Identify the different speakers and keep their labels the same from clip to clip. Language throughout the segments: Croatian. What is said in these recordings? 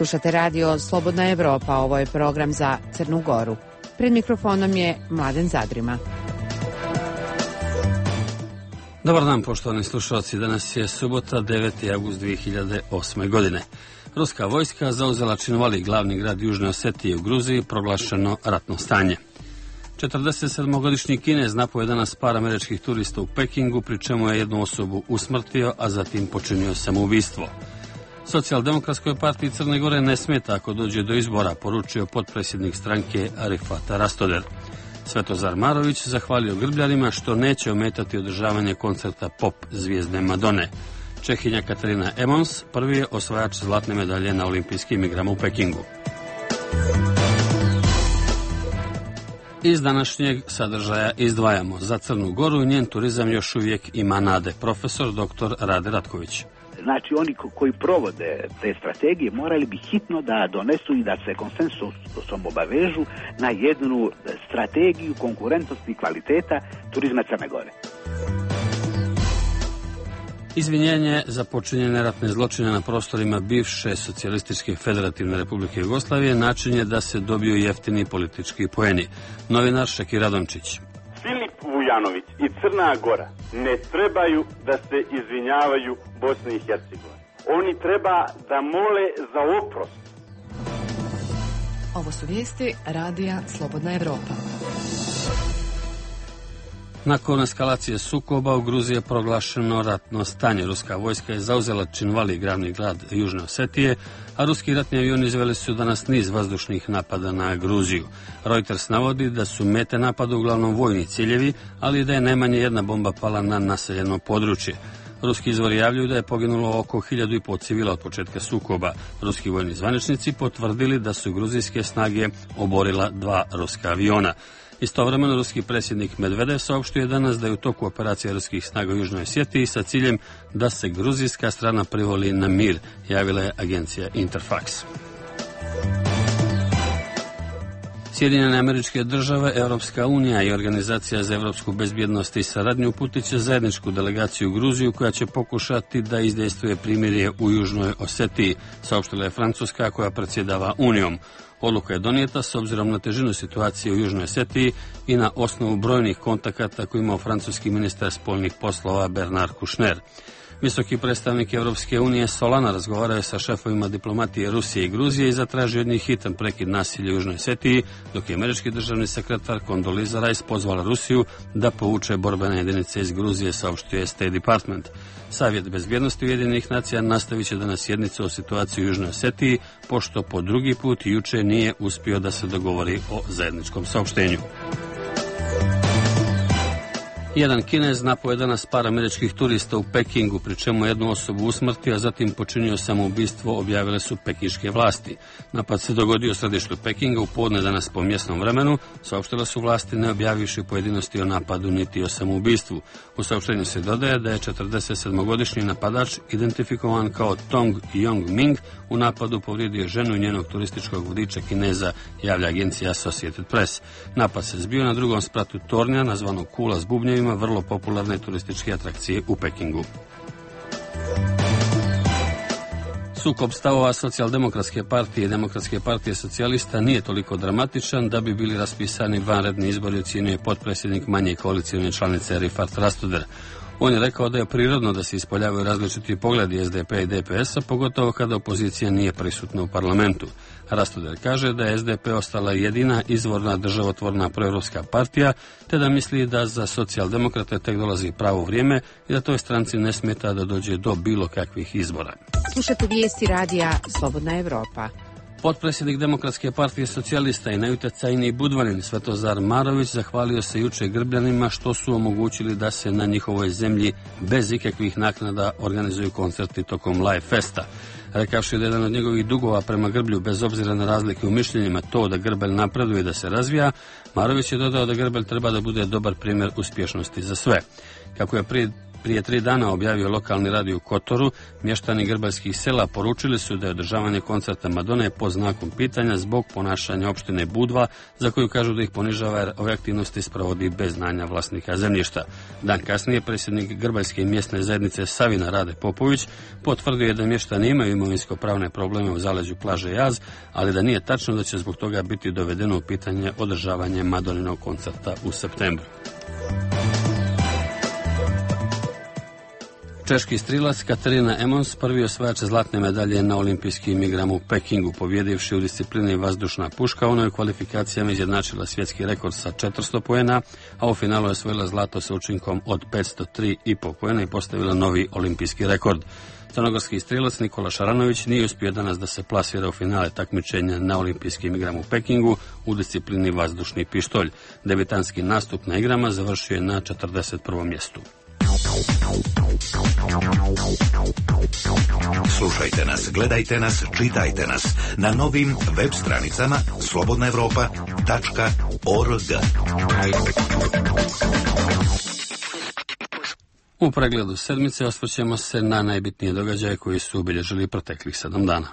Speaker 1: Slušate radio Slobodna Evropa, ovo je program za Crnu Goru. Pred mikrofonom je Mladen Zadrima.
Speaker 2: Dobar dan, poštovani slušalci. Danas je subota, 9. avgust 2008. godine. Ruska vojska zauzela Činvali, glavni grad Južne Osetije u Gruziji, proglašeno ratno stanje. 47-godišnji Kinez napao je danas par američkih turista u Pekingu, pri čemu je jednu osobu usmrtio, a zatim počinio samoubistvo. Socijaldemokratskoj partiji Crne Gore ne smeta ako dođe do izbora, poručio potpredsjednik stranke Arifat Rastoder. Svetozar Marović zahvalio grbljanima što neće ometati održavanje koncerta pop zvijezde Madone. Čehinja Katarina Emons prvi je osvajač zlatne medalje na olimpijskim igrama u Pekingu. Iz današnjeg sadržaja izdvajamo za Crnu Goru, njen turizam još uvijek ima nade. Profesor dr. Rade Ratković.
Speaker 3: Znači, oni koji provode te strategije morali bi hitno da donesu i da se konsensusom obavežu na jednu strategiju konkurentnosti i kvaliteta turizma Crne Gore.
Speaker 2: Izvinjenje za počinjene ratne zločine na prostorima bivše Socijalističke federativne Republike Jugoslavije način je da se dobiju jeftini politički poeni. Novinar Šeki Radončić.
Speaker 4: Filip Vujanović i Crna Gora ne trebaju da se izvinjavaju Bosni i Hercegovini. Oni treba da mole za oprost.
Speaker 5: Ovo su vijesti radija Slobodna Evropa.
Speaker 2: Nakon eskalacije sukoba u Gruziji je proglašeno ratno stanje. Ruska vojska je zauzela Činvali, glavni grad Južne Osetije, a ruski ratni avioni izveli su danas niz vazdušnih napada na Gruziju. Reuters navodi da su mete napada uglavnom vojni ciljevi, ali da je najmanje jedna bomba pala na naseljeno područje. Ruski izvori javljaju da je poginulo oko 1.500 civila od početka sukoba. Ruski vojni zvaničnici potvrdili da su gruzijske snage oborila 2 ruska aviona. Istovremeno, ruski predsjednik Medvedev saopštio danas da je u toku operacije ruskih snaga u Južnoj Osetiji sa ciljem da se gruzijska strana privoli na mir, javila je agencija Interfax. Sjedinjene Američke Države, Europska unija i Organizacija za evropsku bezbjednost i saradnju uputit će zajedničku delegaciju u Gruziju koja će pokušati da izdejstvuje primirje u Južnoj Osetiji, saopštila je Francuska koja predsjedava Unijom. Odluka je donijeta s obzirom na težinu situacije u Južnoj Osetiji i na osnovu brojnih kontakata koje imao francuski ministar spoljnih poslova Bernard Kouchner. Visoki predstavnik Europske unije Solana razgovarao je sa šefovima diplomatije Rusije i Gruzije i zatražio od njih hitan prekid nasilja u Južnoj Osetiji, dok je američki državni sekretar Condoleezza Rice pozvala Rusiju da povuče borbene jedinice iz Gruzije, saopštio je State Department. Savjet bezbjednosti Ujedinjenih nacija nastavit će danas sjednicu o situaciji u Južnoj Osetiji, pošto po drugi put juče nije uspio da se dogovori o zajedničkom saopštenju. Jedan Kinez napao je danas par američkih turista u Pekingu, pri čemu jednu osobu usmrtio, a zatim počinio samoubistvo, objavile su pekinške vlasti. Napad se dogodio u središtu Pekinga u podne danas po mjesnom vremenu, saopštile su vlasti ne objavivši pojedinosti o napadu niti o samoubistvu. U saopštenju se dodaje da je 47-godišnji napadač identifikovan kao Tong Yong Ming u napadu povrijedio ženu i njenog turističkog vodiča Kineza, javlja agencija Associated Press. Napad se zbio na drugom spratu tornja, nazvanog Kula s bubnjevima, vrlo popularne turističke atrakcije u Pekingu. Sukob stavova Socijaldemokratske partije i Demokratske partije socijalista nije toliko dramatičan da bi bili raspisani vanredni izbori, ocjenjuje potpredsjednik manje koalicijne članice Arifat Rastoder. On je rekao da je prirodno da se ispoljavaju različiti pogledi SDP i DPS-a, pogotovo kada opozicija nije prisutna u parlamentu. Rastoder kaže da je SDP ostala jedina izvorna državotvorna proevropska partija, te da misli da za socijaldemokrate tek dolazi pravo vrijeme i da toj stranci ne smeta da dođe do bilo kakvih izbora.
Speaker 1: Slušate vijesti radija Slobodna Evropa.
Speaker 2: Potpredsjednik Demokratske partije socijalista i najutjecajniji Budvanin Svetozar Marović zahvalio se juče grbljanima što su omogućili da se na njihovoj zemlji bez ikakvih naknada organizuju koncerti tokom Live Festa. Rekavši da je jedan od njegovih dugova prema Grblju, bez obzira na razlike u mišljenjima, to da Grbelj napreduje i da se razvija, Marović je dodao da Grbelj treba da bude dobar primjer uspješnosti za sve. Kako je prije Prije 3 dana objavio lokalni radio u Kotoru, mještani grbaljskih sela poručili su da je održavanje koncerta Madone pod znakom pitanja zbog ponašanja opštine Budva, za koju kažu da ih ponižava jer ove aktivnosti sprovodi bez znanja vlasnika zemljišta. Dan kasnije predsjednik grbaljske mjesne zajednice Savina Rade Popović potvrdio je da mještani imaju imovinsko-pravne probleme u zaleđu plaže Jaz, ali da nije tačno da će zbog toga biti dovedeno u pitanje održavanje Madoninog koncerta u septembru. Češki strilac Katarina Emons, prvi osvajač zlatne medalje na olimpijskim igrama u Pekingu, pobjedivši u disciplini vazdušna puška, ona je u kvalifikacijama izjednačila svjetski rekord sa 400 poena, a u finalu je osvojila zlato sa učinkom od 503,5 poena i postavila novi olimpijski rekord. Crnogorski strilac Nikola Šaranović nije uspio danas da se plasira u finale takmičenja na olimpijskim igrama u Pekingu u disciplini vazdušni pištolj. Debitanski nastup na igrama završio je na 41. mjestu.
Speaker 6: Slušajte nas, gledajte nas, čitajte nas na novim web stranicama slobodnaevropa.org.
Speaker 2: U pregledu sedmice osvrćemo se na najbitnije događaje koji su obilježili proteklih 7 dana.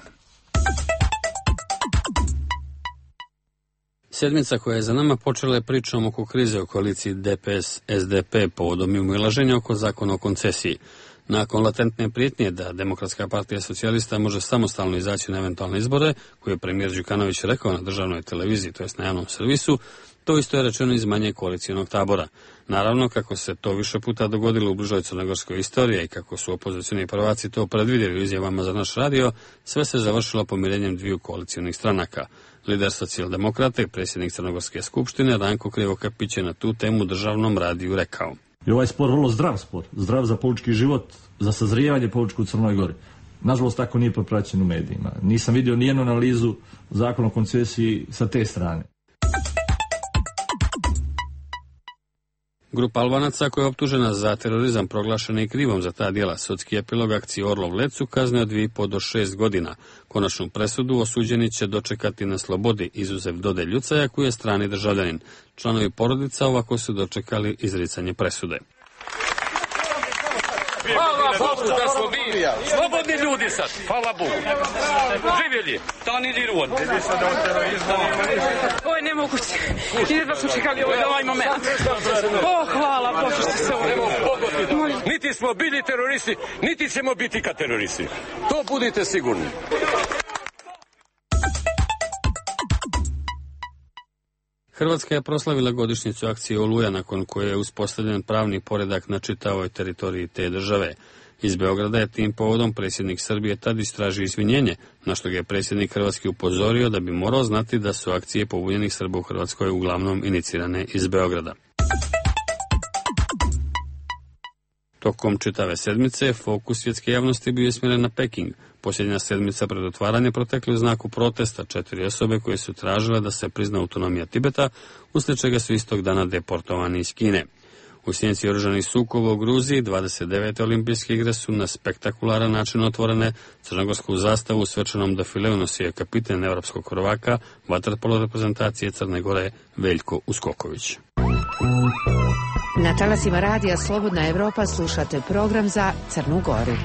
Speaker 2: Sedmica koja je za nama počela je pričom oko krize u koaliciji DPS-SDP povodom umilaženja oko zakona o koncesiji. Nakon latentne prijetnje da Demokratska partija socijalista može samostalno izaći na eventualne izbore, koje je premijer Đukanović rekao na državnoj televiziji, to jest na javnom servisu, to isto je rečeno iz manje koalicijonog tabora. Naravno, kako se to više puta dogodilo u bližoj crnogorskoj istoriji i kako su opozicioni prvaci to predvidjeli u izjavama za naš radio, sve se završilo pomirenjem dviju koalicijonih stranaka. Lider socijaldemokrata i predsjednik Crnogorske skupštine Ranko Krivokapić je na tu temu državnom radiju rekao:
Speaker 7: I ovaj spor vrlo zdrav spor, zdrav za politički život, za sazrijevanje političkog u Crnoj Gori. Nažalost, tako nije popraćen u medijima. Nisam vidio nijednu analizu zakona o koncesiji sa te strane.
Speaker 2: Grupa Albanaca koja je optužena za terorizam proglašena i krivom za ta djela. Sudski epilog akcije Orlov Lecu kazne od 2,5 do 6 godina. Konačnu presudu osuđeni će dočekati na slobodi, izuzev Dode Ljucaja koji je strani državljanin. Članovi porodica ovako su dočekali izricanje presude.
Speaker 8: Hvala Bogu da smo mi slobodni ljudi sad, hvala Bogu. Živjeli, to ni diruon.
Speaker 9: Ovo je nemoguće. Jedva smo čekali ovaj moment. Hvala Bogu što se ovo.
Speaker 8: Niti smo bili teroristi, niti ćemo biti ka teroristi. To budite sigurni.
Speaker 2: Hrvatska je proslavila godišnjicu akcije Oluja, nakon koje je uspostavljen pravni poredak na čitavoj teritoriji te države. Iz Beograda je tim povodom predsjednik Srbije Tadić traži izvinjenje, na što ga je predsjednik Hrvatske upozorio da bi morao znati da su akcije pobunjenih Srba u Hrvatskoj uglavnom inicirane iz Beograda. Tokom čitave sedmice fokus svjetske javnosti bio je smjeren na Peking. Posljednja sedmica pred otvaranje protekli u znaku protesta 4 osobe koje su tražile da se prizna autonomija Tibeta, uslijed čega su istog dana deportovani iz Kine. U sjenci oružanih sukoba u Gruziji 29. olimpijske igre su na spektakularan način otvorene. Crnogorsku zastavu u svečanom defileu nosio je kapiten evropskog prvaka vaterpolo reprezentacije Crne Gore Veljko Uskoković.
Speaker 1: Na talasima radija Slobodna Evropa slušate program za Crnu Goru.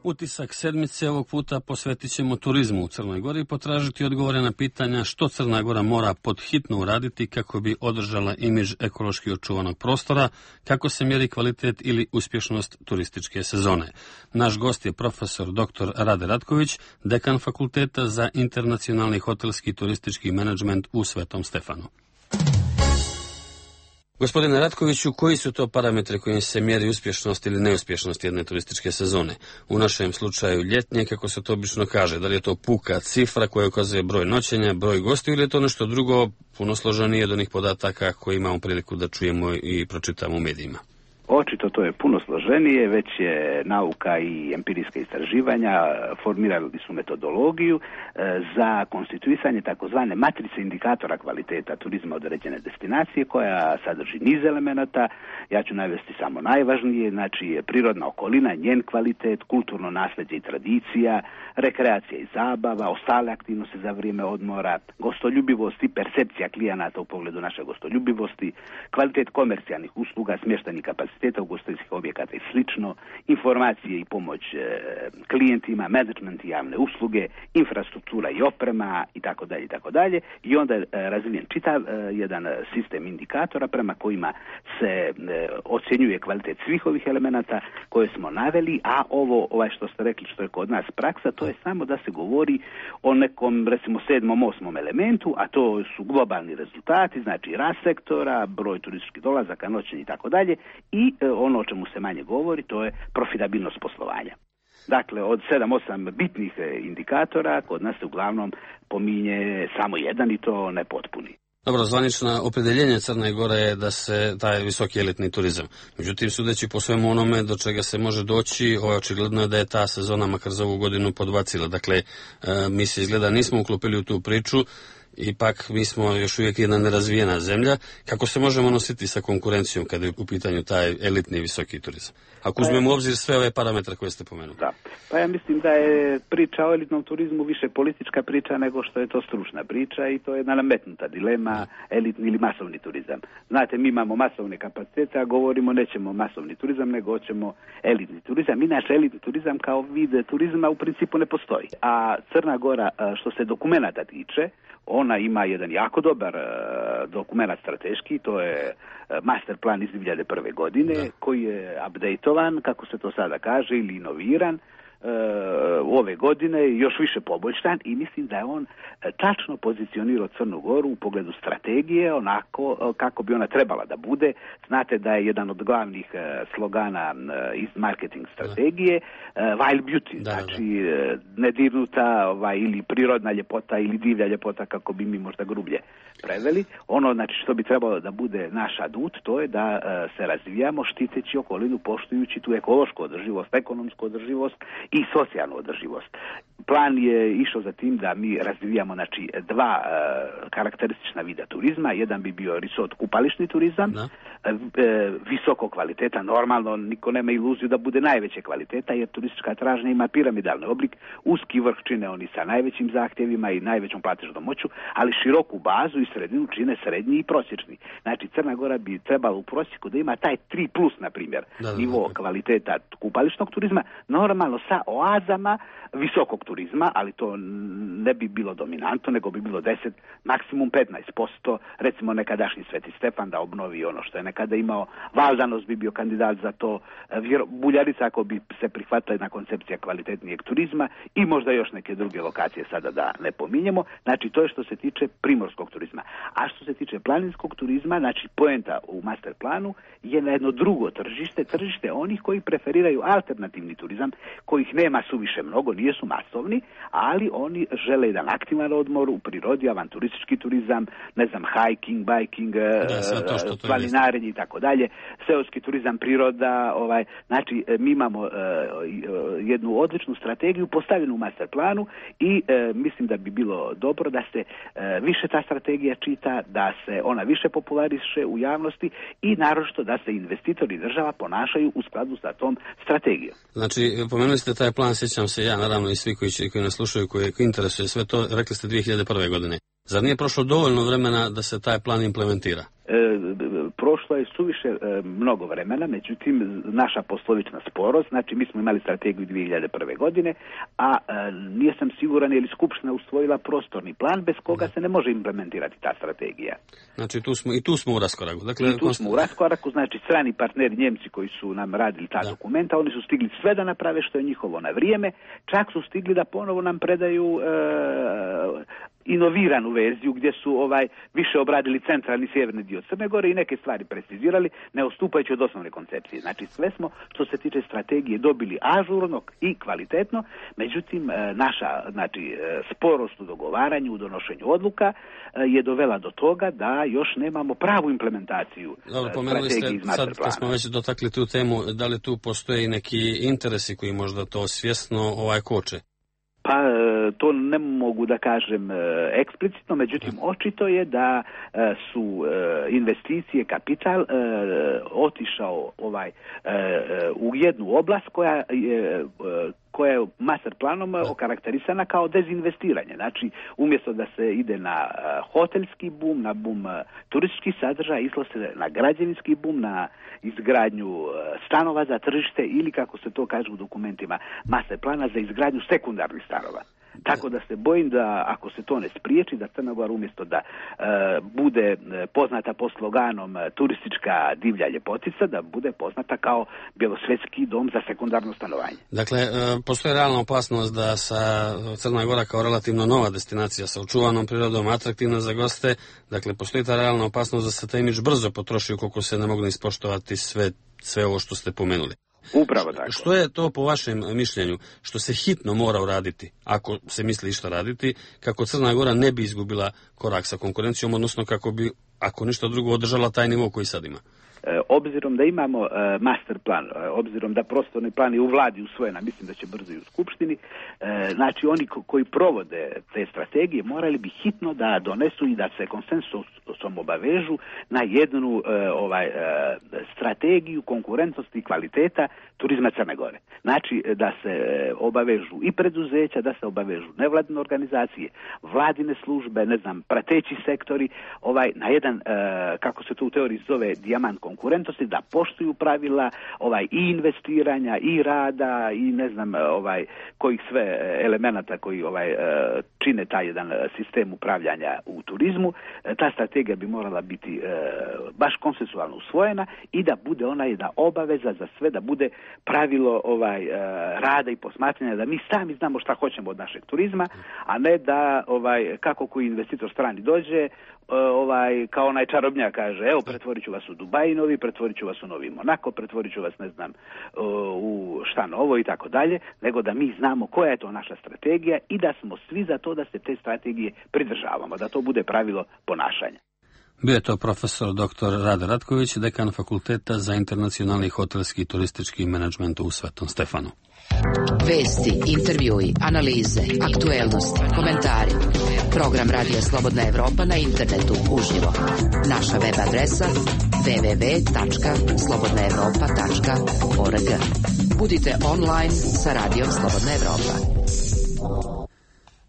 Speaker 2: Utisak sedmice ovog puta posvetit ćemo turizmu u Crnoj Gori i potražiti odgovore na pitanja što Crna Gora mora podhitno uraditi kako bi održala imidž ekološki očuvanog prostora, kako se mjeri kvalitet ili uspješnost turističke sezone. Naš gost je profesor dr. Rade Ratković, dekan Fakulteta za internacionalni hotelski i turistički menadžment u Svetom Stefanu. Gospodine Ratkoviću, koji su to parametri kojim se mjeri uspješnost ili neuspješnost jedne turističke sezone? U našem slučaju ljetnje, kako se to obično kaže, da li je to puka cifra koja ukazuje broj noćenja, broj gostiju ili je to nešto drugo, puno složenije od onih podataka koje imamo priliku da čujemo i pročitamo u medijima?
Speaker 3: Očito to je puno složenije, već je nauka i empirijska istraživanja formirali su metodologiju za konstituisanje takozvane matrice indikatora kvaliteta turizma određene destinacije koja sadrži niz elemenata. Ja ću navesti samo najvažnije, znači prirodna okolina, njen kvalitet, kulturno nasljeđe i tradicija, rekreacija i zabava, ostale aktivnosti za vrijeme odmora, gostoljubivost i percepcija klijenata u pogledu naše gostoljubivosti, kvalitet komercijalnih usluga, smještajnih kapaciteta ugostiteljskih objekata i slično, informacije i pomoć klijentima, menadžment i javne usluge, infrastruktura i oprema itd. I onda je razvijen čitav jedan sistem indikatora prema kojima se ocjenjuje kvalitet svih ovih elemenata koje smo naveli, a ovo što ste rekli što je kod nas praksa, to je samo da se govori o nekom recimo 7. 8. elementu, a to su globalni rezultati, znači rast sektora, broj turističkih dolazaka, noćenja i tako dalje, i ono o čemu se manje govori, to je profitabilnost poslovanja. Dakle, od 7-8 bitnih indikatora kod nas se uglavnom pominje samo jedan i to nepotpuni.
Speaker 2: Dobro, zvanično opredeljenje Crne Gore je da se taj visoki elitni turizam. Međutim, sudeći po svemu onome do čega se može doći, očigledno je da je ta sezona makar za ovu godinu podbacila. Dakle, mi se izgleda nismo uklopili u tu priču, ipak mi smo još uvijek jedna nerazvijena zemlja. Kako se možemo nositi sa konkurencijom kada je u pitanju taj elitni visoki turizam? Ako uzmemo u obzir sve ove parametre koje ste pomenuli.
Speaker 3: Da. Pa ja mislim da je priča o elitnom turizmu više politička priča nego što je to stručna priča i to je jedna nametnuta dilema, elitni ili masovni turizam. Znate, mi imamo masovne kapacitete, a govorimo nećemo masovni turizam, nego hoćemo elitni turizam. Inače, elitni turizam kao vid turizma u principu ne postoji. A Crna Gora, što se dokumenata tiče, ona ima jedan jako dobar dokumenat strateški, to je master plan iz 2001. godine, koji je updateovan, kako se to sada kaže, ili inoviran ove godine, još više poboljšan, i mislim da je on tačno pozicionirao Crnu Goru u pogledu strategije, onako kako bi ona trebala da bude. Znate da je jedan od glavnih slogana iz marketing strategije wild beauty, znači nedirnuta ili prirodna ljepota ili divlja ljepota, kako bi mi možda grublje preveli. Ono, znači, što bi trebalo da bude naš adut, to je da se razvijamo štiteći okolinu, poštujući tu ekološku održivost, ekonomsku održivost i socijalnu održivost. Plan je išao za tim da mi razvijamo, znači, dva karakteristična vida turizma. Jedan bi bio resort kupališni turizam, visoko kvaliteta, normalno niko nema iluziju da bude najveće kvaliteta, jer turistička tražnja ima piramidalni oblik, uski vrh čine oni sa najvećim zahtjevima i najvećom platežnom moću, ali široku bazu i sredinu čine srednji i prosječni. Znači, Crna Gora bi trebala u prosjeku da ima taj 3+, na primjer, nivo kvaliteta kupališnog turizma, normalno sa oazama visokog turizma, ali to ne bi bilo dominantno, nego bi bilo 10, maksimum 15%, recimo nekadašnji Sveti Stefan da obnovi ono što je nekada imao, Valdanos bi bio kandidat za to, Buljarica ako bi se prihvatila jedna koncepcija kvalitetnijeg turizma i možda još neke druge lokacije sada da ne pominjemo. Znači, to je što se tiče primorskog turizma. A što se tiče planinskog turizma, znači poenta u master planu je na jedno drugo tržište onih koji preferiraju alternativni turizam, kojih nema suviše mnogo, nisu masovni, ali oni žele jedan aktivan odmor u prirodi, avanturistički turizam, ne znam, hiking, biking, planinarenje i tako dalje, seoski turizam, priroda, znači mi imamo jednu odličnu strategiju postavljenu u master planu i mislim da bi bilo dobro da se više ta strategija čita, da se ona više populariše u javnosti i naročito da se investitori i država ponašaju u skladu sa tom strategijom.
Speaker 2: Znači, pomenuli ste taj plan, sjećam se ja, naravno i svi koji nas slušaju, koji interesuje sve to, rekli ste 2001. godine. Zar nije prošlo dovoljno vremena da se taj plan implementira?
Speaker 3: Prošlo je suviše mnogo vremena, međutim naša poslovična sporost, znači mi smo imali strategiju 2001. godine, a nisam siguran je li Skupština usvojila prostorni plan bez koga se ne može implementirati ta strategija.
Speaker 2: Znači tu smo u raskoraku. Dakle,
Speaker 3: I tu smo u raskoraku, znači strani partneri Njemci koji su nam radili ta dokumenta, oni su stigli sve da naprave što je njihovo na vrijeme, čak su stigli da ponovo nam predaju inoviranu verziju gdje su više obradili centralni i sjeverni dio Crne Gore i neke stvari precizirali, ne odstupajući od osnovne koncepcije. Znači sve smo što se tiče strategije dobili ažurno i kvalitetno, međutim naša sporost u dogovaranju, u donošenju odluka je dovela do toga da još nemamo pravu implementaciju strategije iz master plana.
Speaker 2: Sad smo već dotakli tu temu, da li tu postoje neki interesi koji možda to svjesno koče?
Speaker 3: Pa to ne mogu da kažem eksplicitno, međutim očito je da su investicije, kapital otišao u jednu oblast koja je master planom okarakterisana kao dezinvestiranje. Znači, umjesto da se ide na hotelski bum, na bum turističkih sadržaja, išlo se na građevinski bum, na izgradnju stanova za tržište ili, kako se to kaže u dokumentima master plana, za izgradnju sekundarnih stanova. Tako da se bojim da ako se to ne spriječi, da Crna Gora umjesto da bude poznata po sloganom turistička divlja ljepotica, da bude poznata kao bjelosvetski dom za sekundarno stanovanje.
Speaker 2: Dakle, postoji realna opasnost da Crna Gora kao relativno nova destinacija sa očuvanom prirodom, atraktivna za goste, dakle postoji ta realna opasnost da se taj imidž brzo potroši ukoliko se ne mogu ispoštovati sve ovo što ste pomenuli.
Speaker 3: Upravo tako.
Speaker 2: Što je to po vašem mišljenju što se hitno mora uraditi, ako se misli išta raditi, kako Crna Gora ne bi izgubila korak sa konkurencijom, odnosno kako bi, ako ništa drugo, održala taj nivo koji sad ima?
Speaker 3: Obzirom da imamo master plan, obzirom da prostorni plan je u vladi usvojen, a mislim da će brzo i u skupštini, znači oni koji provode te strategije morali bi hitno da donesu i da se konsensusom obavežu na jednu strategiju konkurentnosti i kvaliteta turizma Crne Gore. Znači da se obavežu i preduzeća, da se obavežu nevladine organizacije, vladine službe, prateći sektori, na jedan, kako se to u teoriji zove, dijamant konkurentnosti, da poštuju pravila i investiranja i rada i kojih sve elemenata koji čine taj jedan sistem upravljanja u turizmu. Ta strategija bi morala biti baš konsensualno usvojena i da bude ona jedna obaveza za sve, da bude pravilo rada i posmatranja, da mi sami znamo šta hoćemo od našeg turizma, a ne da kako koji investitor strani dođe, kao onaj čarobnjak kaže, evo pretvorit ću vas u Dubai novi, pretvorit ću vas u Novi Monako, pretvorit ću vas u šta novo i tako dalje, nego da mi znamo koja je to naša strategija i da smo svi za to da se te strategije pridržavamo, da to bude pravilo ponašanja.
Speaker 2: Bio je to profesor dr. Rade Ratković, dekan Fakulteta za internacionalni hotelski i turistički menadžment u Svetom Stefanu.
Speaker 1: Vesti, intervjui, analize, aktuelnosti, komentari. Program Radija Slobodna Evropa na internetu uživo. Naša web adresa www.slobodnaevropa.org. Budite online sa Radijom Slobodna Evropa.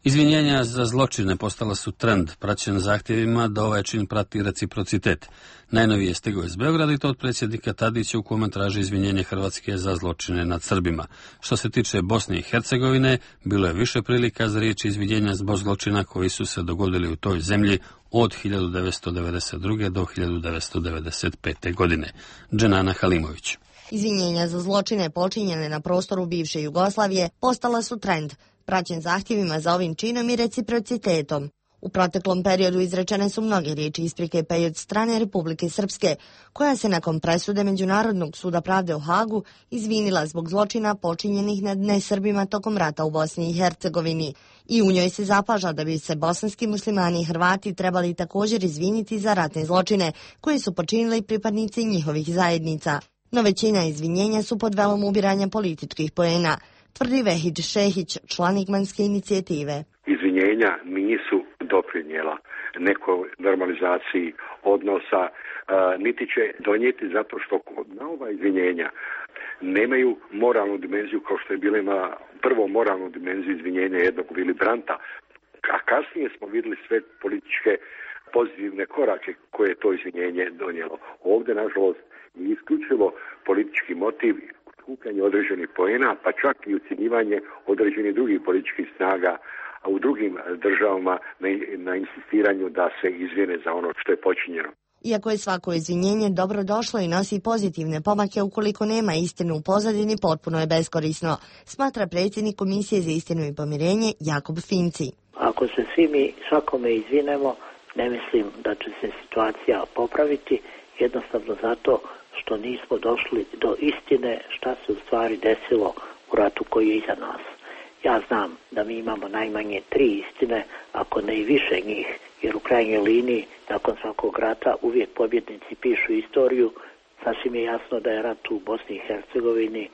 Speaker 2: Izvinjenja za zločine postala su trend, praćen zahtjevima da ovaj čin prati reciprocitet. Najnovije je stigao iz Beograda i to od predsjednika Tadića u kome traži izvinjenje Hrvatske za zločine nad Srbima. Što se tiče Bosne i Hercegovine, bilo je više prilika za riječi izvinjenja zbog zločina koji su se dogodili u toj zemlji od 1992. do 1995. godine. Dženana Halimović.
Speaker 10: Izvinjenja za zločine počinjene na prostoru bivše Jugoslavije postala su trend, praćen zahtjevima za ovim činom i reciprocitetom. U proteklom periodu izrečene su mnoge riječi isprike pa i od strane Republike Srpske, koja se nakon presude Međunarodnog suda pravde u Hagu izvinila zbog zločina počinjenih nad nesrbima tokom rata u Bosni i Hercegovini. I u njoj se zapaža da bi se bosanski muslimani i Hrvati trebali također izviniti za ratne zločine koje su počinili pripadnici njihovih zajednica. No većina izvinjenja su pod velom ubiranja političkih poena, tvrdi Vehidž Šehić, član Igmanske inicijative.
Speaker 11: Izvinjenja nisu doprinijela nekoj normalizaciji odnosa, niti će donijeti zato što na ova izvinjenja nemaju moralnu dimenziju kao što je bila ima prvo moralnu dimenziju izvinjenja jednog Willy Brandta, a kasnije smo vidjeli sve političke pozitivne korake koje je to izvinjenje donijelo. Ovdje, nažalost, je isključivo politički motiv, skupljanje određenih poena, pa čak i ucjenjivanje određenih drugih političkih snaga u drugim državama na insistiranju da se izvine za ono što je počinjeno.
Speaker 10: Iako je svako izvinjenje dobro došlo i nosi pozitivne pomake, ukoliko nema istinu u pozadini, potpuno je beskorisno, smatra predsjednik Komisije za istinu i pomirenje Jakob Finci.
Speaker 12: Ako se svi mi svakome izvinemo, ne mislim da će se situacija popraviti, jednostavno zato što nismo došli do istine šta se u stvari desilo u ratu koji je iza nas. Ja znam da mi imamo najmanje 3 istine, ako ne i više njih, jer u krajnjoj liniji, nakon svakog rata, uvijek pobjednici pišu istoriju. Sasvim je jasno da je rat u Bosni i Hercegovini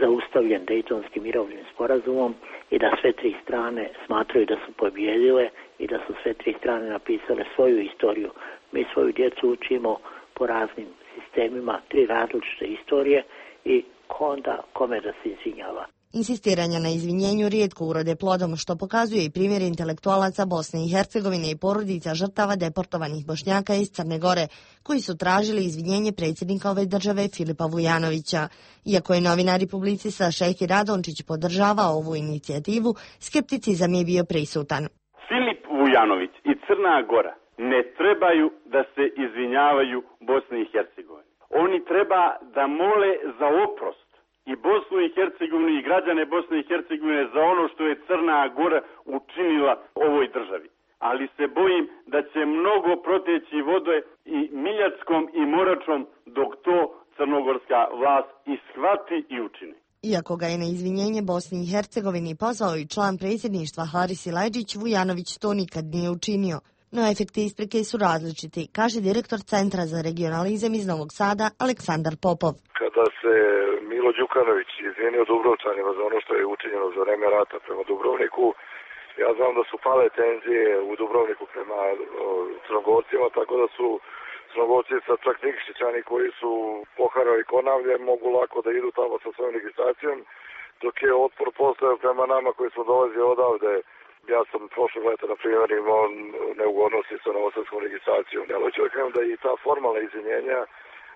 Speaker 12: zaustavljen Dejtonskim mirovnim sporazumom i da sve 3 strane smatraju da su pobjedile i da su sve 3 strane napisale svoju istoriju. Mi svoju djecu učimo po raznim sistemima, 3 različite istorije i onda kome da se izvinjava.
Speaker 10: Insistiranja na izvinjenju rijetko urode plodom, što pokazuje i primjer intelektualaca Bosne i Hercegovine i porodica žrtava deportovanih Bošnjaka iz Crne Gore, koji su tražili izvinjenje predsjednika ove države Filipa Vujanovića. Iako je novinar i publicista Šehki Radončić podržavao ovu inicijativu, skepticizam je bio prisutan.
Speaker 4: Filip Vujanović i Crna Gora ne trebaju da se izvinjavaju Bosni i Hercegovini. Oni treba da mole za oprost i Bosnu i Hercegovinu i građane Bosne i Hercegovine za ono što je Crna Gora učinila ovoj državi. Ali se bojim da će mnogo proteći vode i Miljackom i Moračom dok to crnogorska vlast ishvati i učini.
Speaker 10: Iako ga je na izvinjenje Bosni i Hercegovini pozvao i član predsjedništva Haris Silajdžić, Vujanović to nikad nije učinio. No efekti isprike su različiti, kaže direktor Centra za regionalizam iz Novog Sada Aleksandar Popov.
Speaker 13: Kada se Milo Đukanović izvinio Dubrovčanima za ono što je učinjeno za vreme rata prema Dubrovniku, ja znam da su pale tenzije u Dubrovniku prema Crnogorcima, tako da su Crnogorci sa čak Nikšićani koji su poharali Konavlje mogu lako da idu tamo sa svojom registracijom, dok je otpor postao prema nama koji smo dolazili odavde. Ja sam prošlog leta, na primjer, imao neugodnosti sa novosadskom registracijom. Ja hoću da kažem da i ta formalna izvinjenja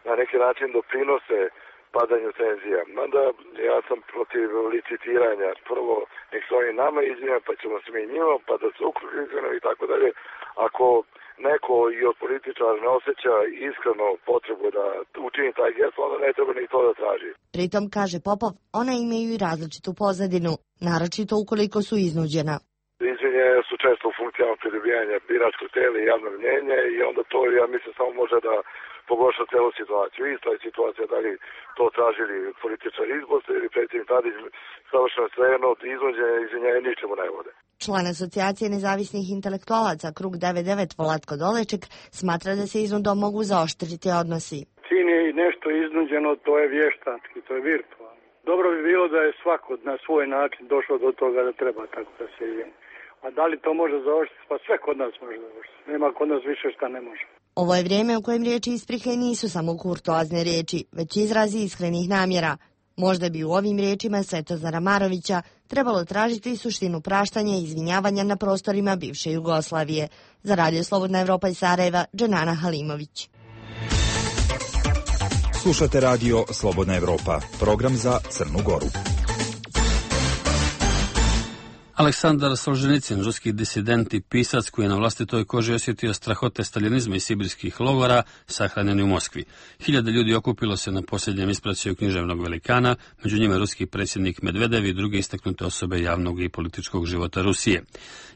Speaker 13: na neki način doprinose padanju tenzija. Mada ja sam protiv licitiranja. Prvo, nek se oni nama izvinjaju, pa ćemo se mi njima, pa da se uključimo i tako dalje. Ako neko i od političara ne osjeća iskreno potrebu da učini taj gest, onda ne treba ni to da traži.
Speaker 10: Pritom, kaže Popov, ona imaju i različitu pozadinu, naročito ukoliko su iznuđena.
Speaker 13: Izvinjenja su često u funkcijama pridobijanja biračkog tela i javnog mnjenja i onda to, ja mislim, samo može da pogorša celu situaciju. Ista je situacija da li to tražili političari iz Bosne ili predsjednik Tadić, savršeno svejedno od iznuđenja izvinjenja ničemu ne vode.
Speaker 10: Član asocijacije nezavisnih intelektualaca Krug 99 Vlatko Doleček smatra da se iznudom mogu zaoštriti odnosi.
Speaker 14: Čim je nešto iznuđeno, to je vještački, to je virtualno. Dobro bi bilo da je svako na svoj način došao do toga da treba tako da se izvini. A da li to može završiti? Pa sve kod nas može završiti. Nema kod nas više šta ne može.
Speaker 10: Ovo je vrijeme u kojem riječi isprike nisu samo kurtoazne riječi, već izrazi iskrenih namjera. Možda bi u ovim riječima Svetozara Marovića trebalo tražiti suštinu praštanja i izvinjavanja na prostorima bivše Jugoslavije. Za Radio Slobodna Evropa iz Sarajeva, Dženana Halimović.
Speaker 15: Slušate Radio Slobodna Evropa, program za Crnu Goru.
Speaker 2: Aleksandar Solženicin, ruski disident i pisac koji je na vlastitoj koži osjetio strahote staljinizma i sibirskih logora, sahranjen u Moskvi. Hiljade ljudi okupilo se na posljednjem ispraćaju književnog velikana, među njima ruski predsjednik Medvedev i druge istaknute osobe javnog i političkog života Rusije.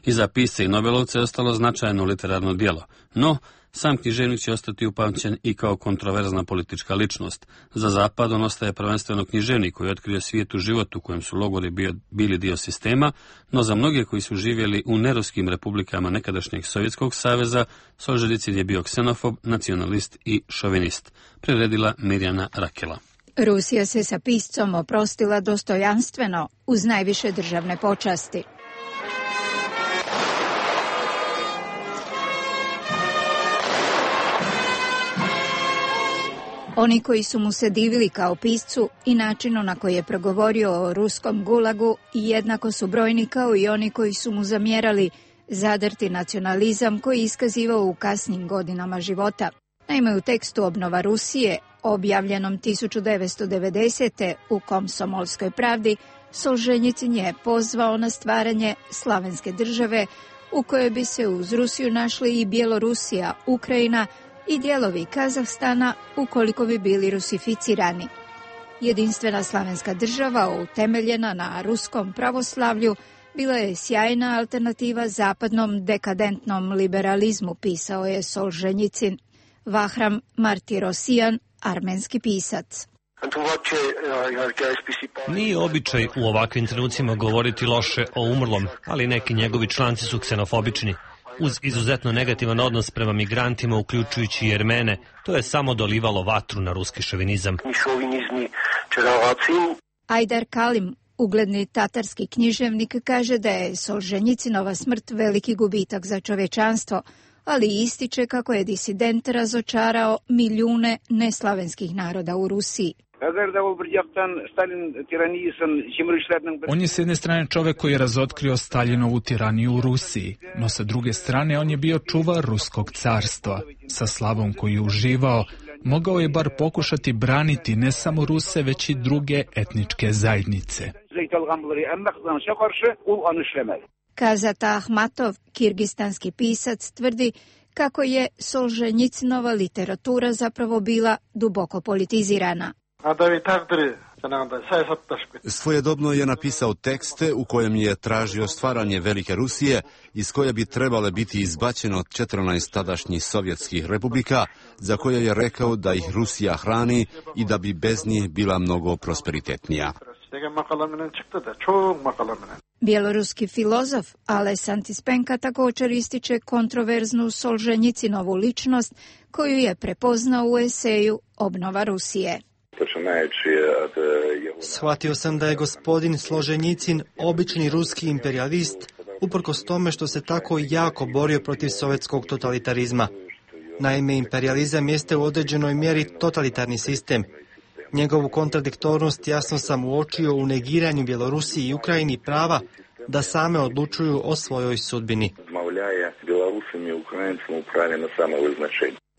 Speaker 2: Iza pisca i nobelovca je ostalo značajno literarno djelo, no sam književnik će ostati upamćen i kao kontroverzna politička ličnost. Za Zapad on ostaje prvenstveno književnik koji je otkrio svijet u životu u kojem su logori bili dio sistema, no za mnoge koji su živjeli u neruskim republikama nekadašnjeg Sovjetskog saveza, Solženicin je bio ksenofob, nacionalist i šovinist. Priredila Mirjana Rakela.
Speaker 16: Rusija se sa piscom oprostila dostojanstveno uz najviše državne počasti. Oni koji su mu se divili kao piscu i načinu na koji je progovorio o ruskom gulagu jednako su brojni kao i oni koji su mu zamjerali zadrti nacionalizam koji je iskazivao u kasnim godinama života. Naime, u tekstu Obnova Rusije, objavljenom 1990. u Komsomolskoj pravdi, Solženjicin je pozvao na stvaranje slavenske države u kojoj bi se uz Rusiju našli i Bjelorusija, Ukrajina i dijelovi Kazahstana ukoliko bi bili rusificirani. Jedinstvena slavenska država, utemeljena na ruskom pravoslavlju, bila je sjajna alternativa zapadnom dekadentnom liberalizmu, pisao je Solženjicin. Vahram Martirosyan, armenski pisac.
Speaker 17: Nije običaj u ovakvim trenucima govoriti loše o umrlom, ali neki njegovi članci su ksenofobični. Uz izuzetno negativan odnos prema migrantima, uključujući i Jermene, to je samo dolivalo vatru na ruski šovinizam.
Speaker 16: Ajdar Kalim, ugledni tatarski književnik, kaže da je Solženjicinova smrt veliki gubitak za čovečanstvo, ali ističe kako je disident razočarao milijune neslavenskih naroda u Rusiji.
Speaker 18: On je s jedne strane čovjek koji je razotkrio Staljinovu tiraniju u Rusiji, no sa druge strane on je bio čuvar ruskog carstva. Sa slavom koju je uživao, mogao je bar pokušati braniti ne samo Ruse, već i druge etničke zajednice.
Speaker 16: Kazat Ahmatov, kirgistanski pisac, tvrdi kako je Solženjicinova literatura zapravo bila duboko politizirana.
Speaker 19: Svojedobno je napisao tekste u kojem je tražio stvaranje velike Rusije, iz koje bi trebale biti izbačeno 14 tadašnjih sovjetskih republika, za koje je rekao da ih Rusija hrani i da bi bez njih bila mnogo prosperitetnija.
Speaker 16: Bjeloruski filozof Ales Antispenka također ističe kontroverznu Solženjicinovu ličnost koju je prepoznao u eseju Obnova Rusije.
Speaker 20: Shvatio sam da je gospodin Solženjicin obični ruski imperialist, uprkos tome što se tako jako borio protiv sovjetskog totalitarizma. Naime, imperializam jeste u određenoj mjeri totalitarni sistem. Njegovu kontradiktornost jasno sam uočio u negiranju Bjelorusiji i Ukrajini prava da same odlučuju o svojoj sudbini.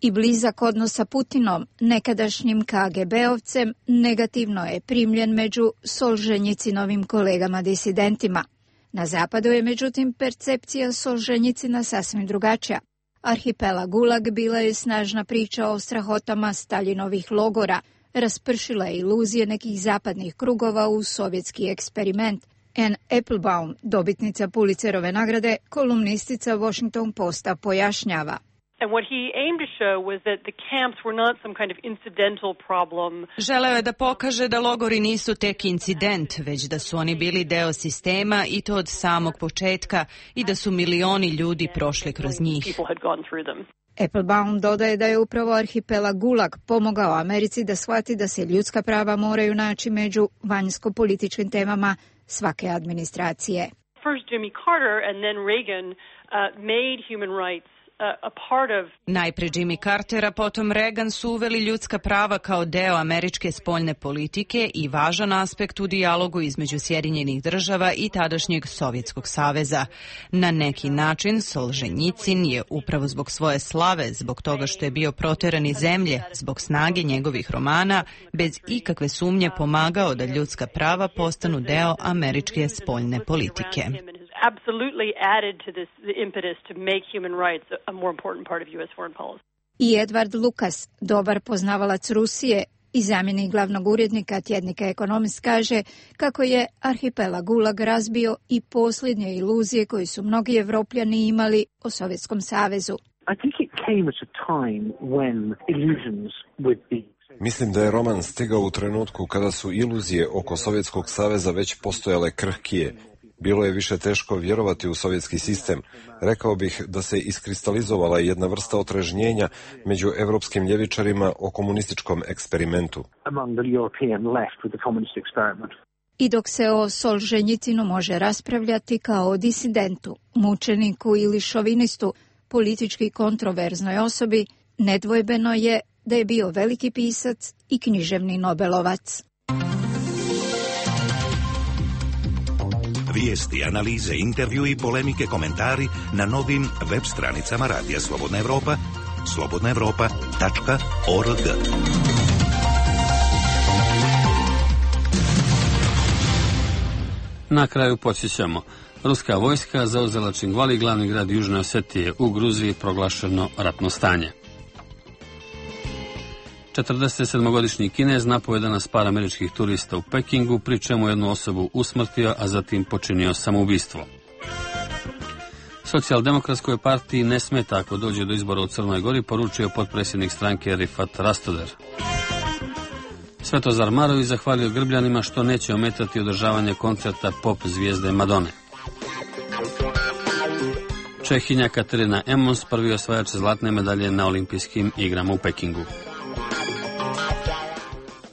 Speaker 16: I blizak odnos sa Putinom, nekadašnjim KGB-ovcem, negativno je primljen među Solženjicinovim kolegama disidentima. Na zapadu je međutim percepcija Solženjicina sasvim drugačija. Arhipelag Gulag bila je snažna priča o strahotama Staljinovih logora, raspršila je iluzije nekih zapadnih krugova u sovjetski eksperiment. Anne Applebaum, dobitnica Pulitzerove nagrade, kolumnistica Washington Posta, pojašnjava.
Speaker 21: And what he aimed to show was that the camps were not some kind of incidental problem.
Speaker 22: Želeo je da pokaže da logori nisu tek incident, već da su oni bili deo sistema i to od samog početka i da su milioni ljudi prošli kroz njih.
Speaker 16: Applebaum dodaje da je upravo arhipelag Gulag pomogao Americi da shvati da se ljudska prava moraju naći među vanjsko-političkim temama svake administracije.
Speaker 21: First Jimmy Carter and then Reagan made human rights a part of...
Speaker 22: Najpre Jimmy Carter, a potom Reagan su uveli ljudska prava kao deo američke spoljne politike i važan aspekt u dijalogu između Sjedinjenih država i tadašnjeg Sovjetskog saveza. Na neki način Solženjicin je upravo zbog svoje slave, zbog toga što je bio proteran iz zemlje, zbog snage njegovih romana, bez ikakve sumnje pomagao da ljudska prava postanu deo američke spoljne politike.
Speaker 21: Absolutely added to this the impetus to make human rights a more important part of U.S. foreign policy.
Speaker 16: I Edward Lucas, dobar poznavalac Rusije i zamjenik glavnog urednika tjednika Economist, kaže kako je arhipelag Gulag razbio i posljednje iluzije koje su mnogi Evropljani imali o Sovjetskom savezu.
Speaker 23: Mislim da je roman stigao u trenutku kada su iluzije oko Sovjetskog saveza već postojale krhkije. Bilo je više teško vjerovati u sovjetski sistem. Rekao bih da se iskristalizovala jedna vrsta otrežnjenja među evropskim ljevičarima o komunističkom eksperimentu.
Speaker 16: I dok se o Solženjicinu može raspravljati kao o disidentu, mučeniku ili šovinistu, politički kontroverznoj osobi, nedvojbeno je da je bio veliki pisac i književni Nobelovac.
Speaker 6: Vijesti, analize, intervjui, polemike, komentari na novim web stranicama Radija Slobodna Evropa, slobodnaevropa.org.
Speaker 2: Na kraju podsjećamo. Ruska vojska zauzela Čingvali, glavni grad Južne Osetije. U Gruziji proglašeno ratno stanje. 47-godišnji Kinez napao 11 par američkih turista u Pekingu, pri čemu jednu osobu usmrtio, a zatim počinio samoubistvo. Socijaldemokratskoj partiji ne smeta ako dođe do izbora u Crnoj Gori, poručio potpredsjednik stranke Rifat Rastoder. Svetozar Marović zahvalio Grbljanima što neće ometati održavanje koncerta pop zvijezde Madone. Čehinja Katerina Emmons, prvi osvajač zlatne medalje na olimpijskim igrama u Pekingu.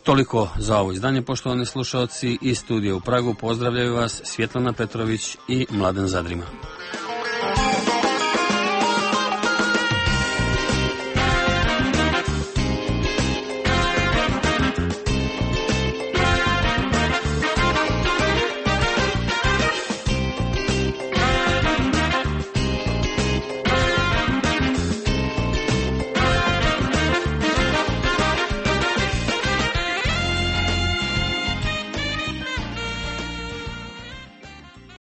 Speaker 2: Toliko za ovo izdanje, poštovani slušalci. Iz studija u Pragu pozdravljaju vas Svjetlana Petrović i Mladen Zadrima.